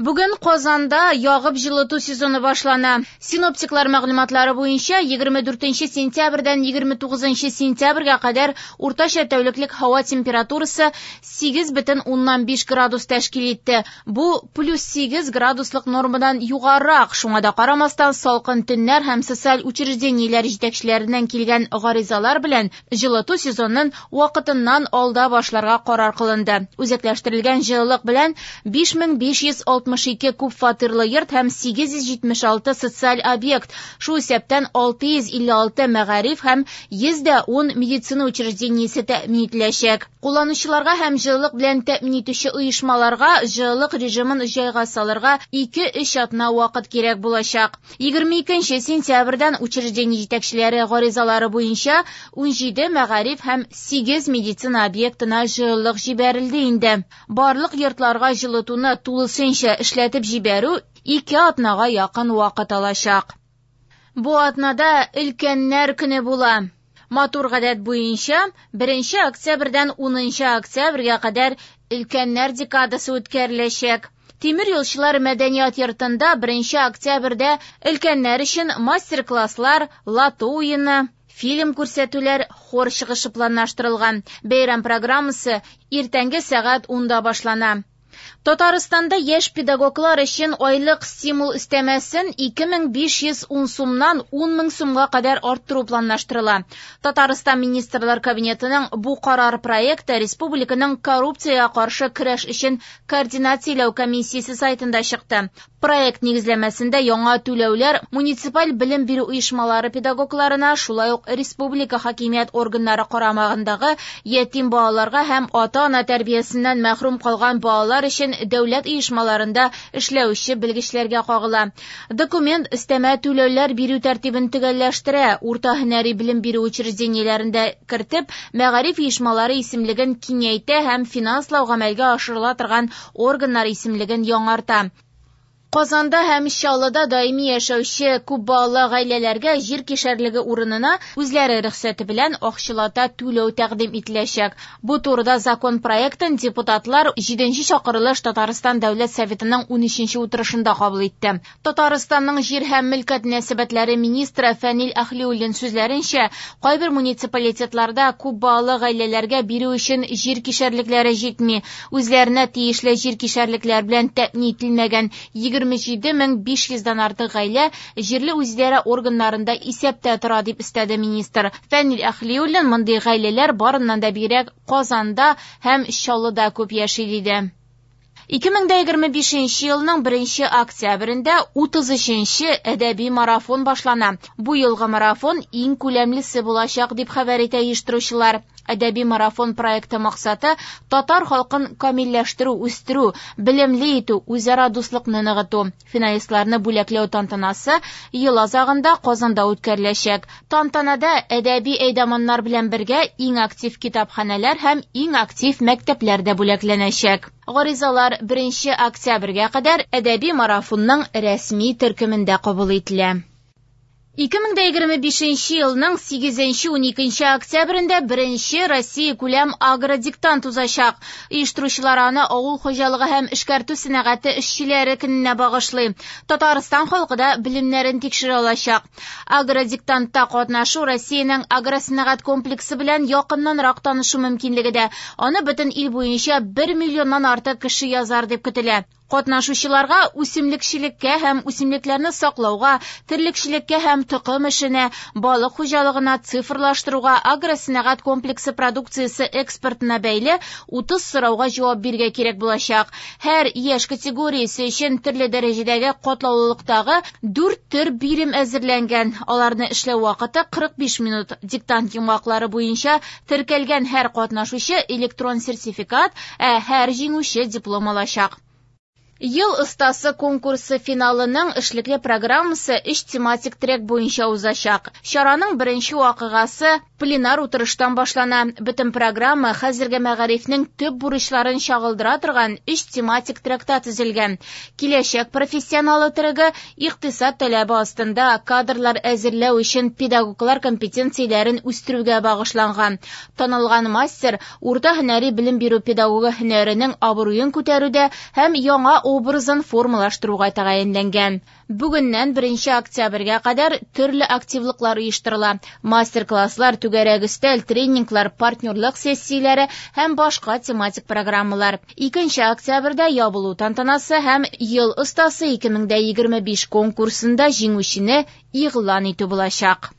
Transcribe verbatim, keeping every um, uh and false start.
Бүген Казанда ягып җылыту сезоны башлана. Синоптиклар мәгълүматлары буенча егерме дүртенче сентябрьдән егерме тугызынчы сентябрьгә кадәр уртача тәүлеклек һава температурасы сигез бөтен уннан биш градус тәшкил итте. Бу плюс сигез градуслык нормадан югарырак. Шуңа да карамастан, салкын төннәр һәм социаль учреждениеләр җитәкчеләреннән килгән гаризалар белән җылыту сезонын вакытыннан алда башларга карар кылынды. Үзәкләштерелгән җылылык белән биш мең биш йөз алтмыш ике күп фатирлы йорт һәм сигез йөз җитмеш алты социаль объект, шул исәптән алты йөз илле алты мәгариф һәм йөз дә ун медицина учреждениесе тәэмин ителәчәк. Кулланучыларга һәм җылылык белән тәэмин итүче оешмаларга җылылык режимын җайга салырга ике-өч атна вакыт кирәк булачак. Егерме икенче сентябрьдән учреждение җитәкчеләре гаризалары буенча ун җиде мәгариф һәм сигез медицина объектына җылылык җибәрелде инде. Барлык йортларга җылытуны тулысынча эшләтеп җибәрү ике атнага якын вакыт алачак. Бу атнада өлкәннәр көне була. Матур гадәт буенча беренче октябрьдән унынчы октябрьгә кадәр өлкәннәр декадасы үткәреләчәк. Тимер юлчылар мәдәният йортында беренче октябрьдә өлкәннәр өчен мастер-класслар, лото уены, фильм күрсәтүләр, хор чыгышы планлаштырылган. Бәйрәм программасы иртәнге сәгать унда башлана. Татарстанда яшь педагоглар өчен айлык стимул өстәмәсен ике мең биш йөз ун сумнан ун мең сумга кадәр арттыру планлаштырыла. Татарстан Министрлар Кабинетының бу карар проекты республиканың коррупциягә каршы көрәш өчен координацияләү комиссиясе сайтында чыкты. Проект нигезләмәсендә яңа түләүләр муниципаль белем бирү оешмалары педагогларына, шулай ук республика хакимият органнары карамагындагы ятим балаларга һәм ата-ана тәрбиясеннән мәхрүм калган балалар өчен дәүләт оешмаларында эшләүче белгечләргә кагыла. Документ өстәмә түләүләр бирү тәртибен төгәлләштерә, урта һөнәри белем бирү учреждениеләрендә кертеп, мәгариф оешмалары исемлеген киңәйтә һәм финанслау гамәлгә ашырыла торган органнар исемлеген яңарта. Казанда һәм Чаллыда даими яшәүче күп балалы гаиләләргә җир кишәрлеге урынына үзләре рөхсәте белән акчалата түләү тәкъдим ителәчәк. Бу турыда закон проектын депутатлар җиденче чакырылыш Татарстан Дәүләт Советының унөченче утырышында кабул итте. Татарстанның җир һәм мөлкәт мөнәсәбәтләре министры Фәнил Әһлиуллин сүзләренчә, кайбер муниципалитетларда күп балалы гаиләләргә бирү өчен җир кишәрлекләре җитми. Үзләренә тиешле җир кишәрлекләр белән тәэмин ителмәгән егерме җиде мең биш йөздән артык гаилә җирле үзидарә органнарында исәптә тора, дип өстәде министр. Фәнил Әһлиуллин мондый гаиләләр барыннан да бигрәк Казанда һәм Чаллыда күп яши, диде. Ике мең дә егерме бишенче елның беренче октябрендә утыз өченче әдәби марафон башлана. Бу елгы марафон иң күләмлесе булачак, дип хәбәр итә оештыручылар. Әдәби марафон проекты максаты татар халкын камилләштерү, үстерү, белемле итү, үзара дуслыкны ныгыту. Финалистларны бүләкләү тантанасы ел азагында Казанда үткәреләчәк. Тантанада әдәби әйдаманнар белән бергә иң актив китапханәләр һәм иң актив мәктәпләр дә бүләкләнәчәк. Гаризалар беренче октябрьгә кадәр әдәби марафонның рәсми төркемендә кабул ителә. Ике мең дә егерме бишенче елның сигезенче уникенче октябрендә беренче Россия күләм агродиктант узачак. Оештыручылар аны авыл хуҗалыгы һәм эшкәртү сәнәгате эшчеләре көненә багышлый. Татарстан халкы да белемнәрен тикшерә алачак. Агродиктантта катнашу Россиянең агросәнәгать комплексы белән якыннанрак танышу мөмкинлеге дә. Аны бөтен ил буенча бер миллионнан артык кеше язар дип көтелә. Катнашучыларга үсемлекчелеккә һәм үсемлекләрне саклауга, терлекчелеккә һәм токым эшенә, балык хуҗалыгына, цифрлаштыруга, агросәнәгать комплексы продукциясе экспортына бәйле утыз сорауга җавап бирергә кирәк булачак. Һәр яшь категориясе өчен төрле дәрәҗәдәге катлаулылыктагы дүрт төр бирем әзерләнгән. Аларны эшләү вакыты кырык биш минут. Диктант йомгаклары буенча теркәлгән һәр катнашучы электрон сертификат, ә һәр җиңүче диплом алачак. Ел остасы конкурсы финалының эшлекле программасы өч тематик трек буенча узачак. Чараның беренче вакыйгасы пленар утырыштан башлана. Бөтен программа хәзерге мәгарифнең төп бурычларын чагылдыра торган өч тематик тректа төзелгән. Киләчәк профессионалы трегы икътисад таләбе астында кадрлар әзерләү өчен педагоглар компетенцияләрен үстерүгә багышланган. Танылган мастер урта һөнәри белем бирү педагогы һөнәренең абруен күтәрүдә һәм яңа образын формалаштыруга тәгаенләнгән. Бүгеннән беренче октябрьгә кадәр төрле активлыклар оештырыла. Мастер-класслар, түгәрәк өстәл, тренинглар, партнерлык сессияләре һәм башка тематик программалар. Икенче октябрьдә ябылу тантанасы һәм Ел остасы ике мең дә егерме биш конкурсында җиңүчене игълан итү булачак.